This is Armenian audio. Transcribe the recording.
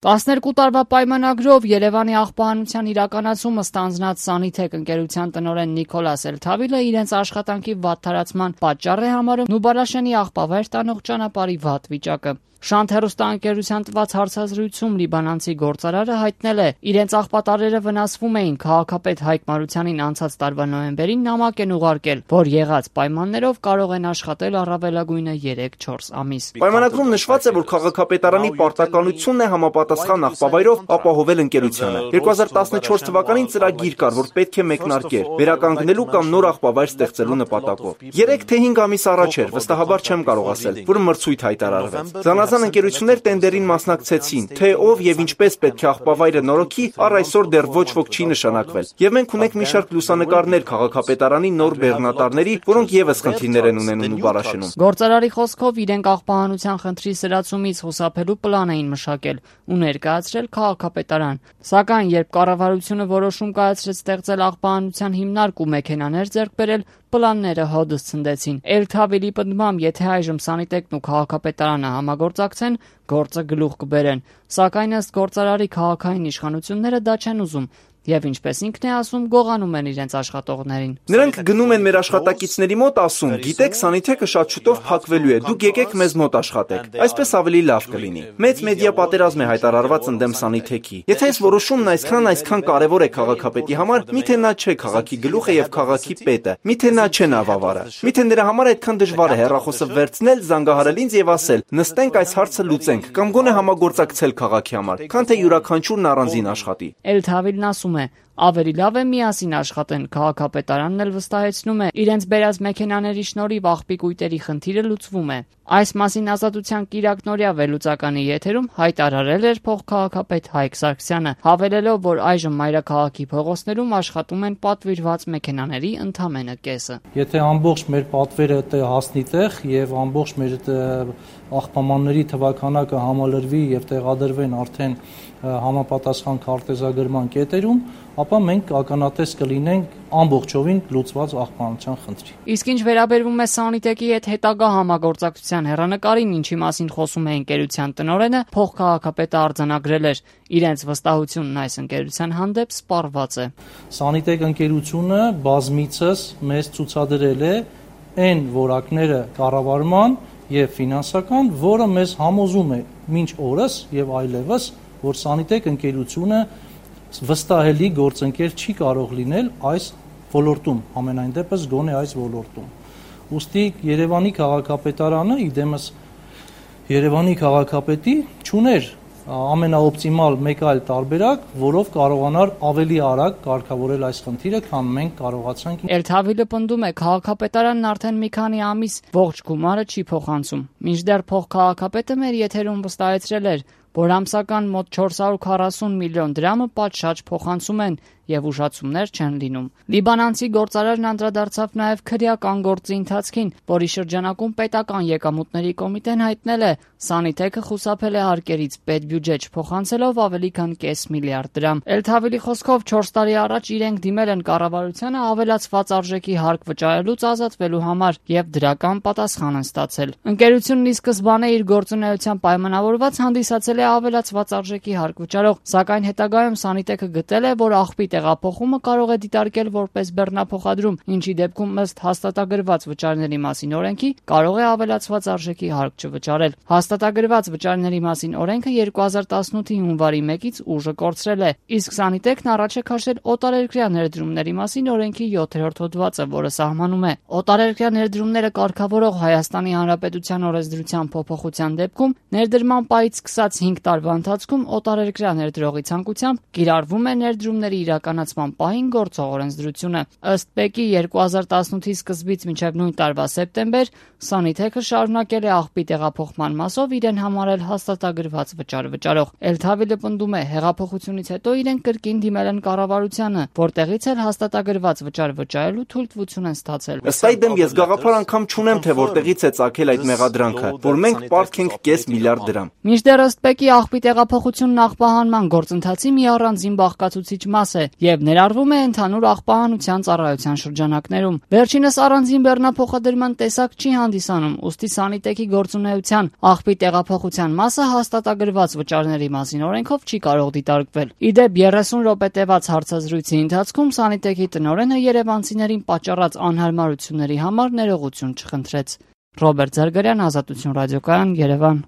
12 տարվա պայմանագրով Երևանի աղբահանության իրականացումը ստանձնած Սանիթեք ընկերության տնօրեն Նիկոլաս Էլթավիլը իրենց աշխատանքի վատթարացման պատճառ է համարում Նուբարաշենի աղբավայր տանող ճանապարհի վատ վիճակը։ Շանթ հեռուստաընկերության տված հարցազրույցում լիբանանցի գործարարը հայտնել է, իրենց աղբատարերը վնասվում էին, քաղաքապետ Հայկ Մարությանին անցած տարվա նոյեմբերին նամակ են ուղարկել, որ եղած պայմաններով կարող են աշխատել առավելագույնը 3-4 ամիս։ Պայմանագրում նշված է, որ քաղաքապետարանի պարտականությունն է համապատասխան աղբավայրով ապահովել ընկերությանը։ 2014 թվականին ծրագիր կար, որ պետք է մեկնարկեր, վերականգնելու կամ նոր աղբավայր ստեղծելու նպատակով։ 3 թե 5 ամիս առաջ էր, վստահաբար չեմ կարող ասել, որ մրցույթ հայտարարվեց։ Զանազան ընկերություններ տենդերին մասնակցեցին, թե ով եւ ինչպես պետք է աղբավայրը նորոգի, առ այսօր դեռ ոչ ոք չի նշանակվել։ Եվ մենք ունենք մի շարք լուսանկարներ քաղաքապետարանի նոր բեռնատարների, որոնք եւս խնդիրներ են ունենում Նուբարաշենում։ Գործարարի խոսքով իրենք աղբահանության խնդրի սրացումից խուսափելու պլան էին մշակել ու ներկայացրել քաղաքապետարան։ Սակայն երբ կառավարությունը որոշում կայացրեց ստեղծել աղբահանության հիմնարկ ու մեքենաներ ձեռք բերել, պլանները հոդս ցնդեցին։ Էլթավիլի պնդմամբ, եթե այժմ Սանիտեկն ու քաղաքապետարանը համագործակցեն, գործը գլուխ կբերեն։ Սակայն ըստ գործարարի քաղաքային իշխանությունները դա չեն ուզում եւ ինչպես ինքն է ասում, գողանում են իրենց աշխատողներին։ Նրանք գնում են մեր աշխատակիցների մոտ ասում, գիտեք, Սանիթեկը շատ շուտով փակվելու է, դուք եկեք մեզ մոտ աշխատեք։ Այսպես ավելի լավ կլինի։ Մեծ մեդիա պատերազմ է հայտարարված ընդդեմ Սանիթեկի։ Եթե այս որոշումն այսքան կարևոր է քաղաքապետի համար, միթե նա չէ քաղաքի գլուխը եւ քաղաքի պետը, միթե նա չէ նավավարը։ Միթե նրա համար այդքան դժվար է հեռախոսը վերցնել, զանգահարել ինձ եւ ասել, նստենք այս հարցը լուծենք, կամ գոնե համագործակցել քաղաքի համար, քան թե յուրաքանչյուրն առանձին աշխատի։ Էլթավիլն ասում է, ավելի լավ է միասին աշխատեն, քաղաքապետարանն էլ վստահեցնում է, իրենց բերած մեքենաների շնորհիվ աղբի կույտերի խնդիրը լուծվում է։ Այս մասին Ազատության կիրակ նորյա վերլուծականի եթերում հայտարարել էր փոխքաղաքապետ Հայկ Սարգսյանը, հավելելով, որ այժմ մայրաքաղաքի փողոցներում աշխատում են պատվիրված մեքենաների ընդամենը կեսը։ Եթե ամբողջ մեր պատվերը հասնի տեղ եւ ամբողջ մեր աղբամանների թվականակը համալրվի եւ տեղադրվեն արդեն համապատասխան քարտեզագրման կետերում, ապա մենք ականատես կլինենք ամբողջովին լուծված աղբանության խնդրի։ Իսկ ինչ վերաբերվում է Սանիտեկի հետ հետագա համագործակցության հեռանկարին, ինչի մասին խոսում է ընկերության տնօրենը, փոխքաղաքապետը արձանագրել էր, իրենց վստահությունն այս ընկերության հանդեպ սպառված է։ Սանիտեք ընկերությունը բազմիցս մեզ ցուցադրել է այն որակները կառավարման եւ ֆինանսական, որը մեզ համոզում է մինչ օրս եւ այլևս, որ Սանիտեք ընկերությունը վստահելի գործընկեր չի կարող լինել այս ոլորտում, ամենայն դեպս գոնե այս ոլորտում։ Ուստի Երևանի քաղաքապետարանը, իդեմս Երևանի քաղաքապետի չուներ ամենաօպտիմալ մեկ այլ տարբերակ, որով կարողանար ավելի արագ կարգավորել այս խնդիրը, քան մենք կարողացանք։ Էլթավիլը պնդում է, քաղաքապետարանն արդեն մի քանի ամիս ողջ գումարը չի փոխանցում։ Մինչդեռ փոխքաղաքապետը մեր եթերում վստահեցրել էր, որ ամսական մոտ 440 միլիոն դրամը պատշաճ փոխանցում են եւ ուշացումներ չեն լինում։ Լիբանանցի գործարարն անդրադարձավ նաեւ քրեական գործի ընթացքին, որի շրջանակում պետական եկամուտների կոմիտեն հայտնել է, Սանիթեկը խուսափել է հարկերից պետբյուջե չփոխանցելով ավելի քան կես միլիարդ դրամ։ Էլթավիլի խոսքով 4 տարի առաջ իրենք դիմել են կառավարությանը ավելացված արժեքի հարկ վճարելուց ազատվելու համար եւ դրական պատասխան են ստացել։ Ընկերությունն ի սկզբանե իր գործունեության պայմանավորված հանդիսացել է ավելացված արժեքի հարկ վճարող, սակայն հետագայում Սանիթեկը գտել է, որ աղբի տեղափոխումը կարող է դիտարկել որպես բեռնափոխադրում, ինչի դեպքում ըստ հաստատագրված վճարների մասին օրենքի կարող է ավելացված արժեքի հարկ չվճարել։ Հաստատագրված վճարների մասին օրենքը 2018-ի հունվարի 1-ից ուժը կորցրել է, իսկ Սանիտեկն առաջ է քաշել օտարերկրյա ներդրումների մասին օրենքի 7-րդ հոդվածը, որը սահմանում է օտարերկրյա ներդրումները կարգավորող Հայաստանի Հանրապետության օրենսդրության փոփոխության դեպքում ներդրման պահից սկսած 5 տարվա ընթացքում օտարերկրյա ներդրողի ցանկությամբ կիրառվում է ներդրումների իրականացման պահին գործող օրենսդրությունը։ Ըստ ՊԵԿ-ի 2018-ի սկզբից մինչև նույն տարվա սեպտեմբեր Սանիթեկը շարունակել է աղբի տեղափոխման մասով իրեն համարել հաստատագրված վճար վճարող։ Էլթավիլը պնդում է, հեղափոխությունից հետո իրենք կրկին դիմել են կառավարությանը, որտեղից էլ հաստատագրված վճար վճարելու թույլտվություն են ստացել։ Ըստ այդմ ես գաղափար անգամ չունեմ, թե որտեղից է ծագել այդ մեղադրանքը, որ մենք պարտք ենք կես միլիարդ դրամ։ Մինչդեռ ըստ ՊԵԿ-ի աղբի տեղափոխությունն աղբահանման գործընթացի մի առանձին բաղկացուցիչ մաս է, եւ ներառվում է ընդհանուր աղբահանության ծառայության շրջանակներում։ Վերջինս առանձին բեռնափոխադրման տեսակ չի հանդիսանում, ուստի Սանիտեկի գործունեության աղբի տեղափոխության մասը հաստատագրված վճարների մասին օրենքով չի կարող դիտարկվել։ Իդեպ 30 րոպե տևած հարցազրույցի ընթացքում Սանիտեկի տնօրենը երևանցիներին պատճառած անհարմարությունների համար ներողություն չխնդրեց։ Ռոբերտ Զարգարյան, Ազատություն ռադիոկայան, Երևան։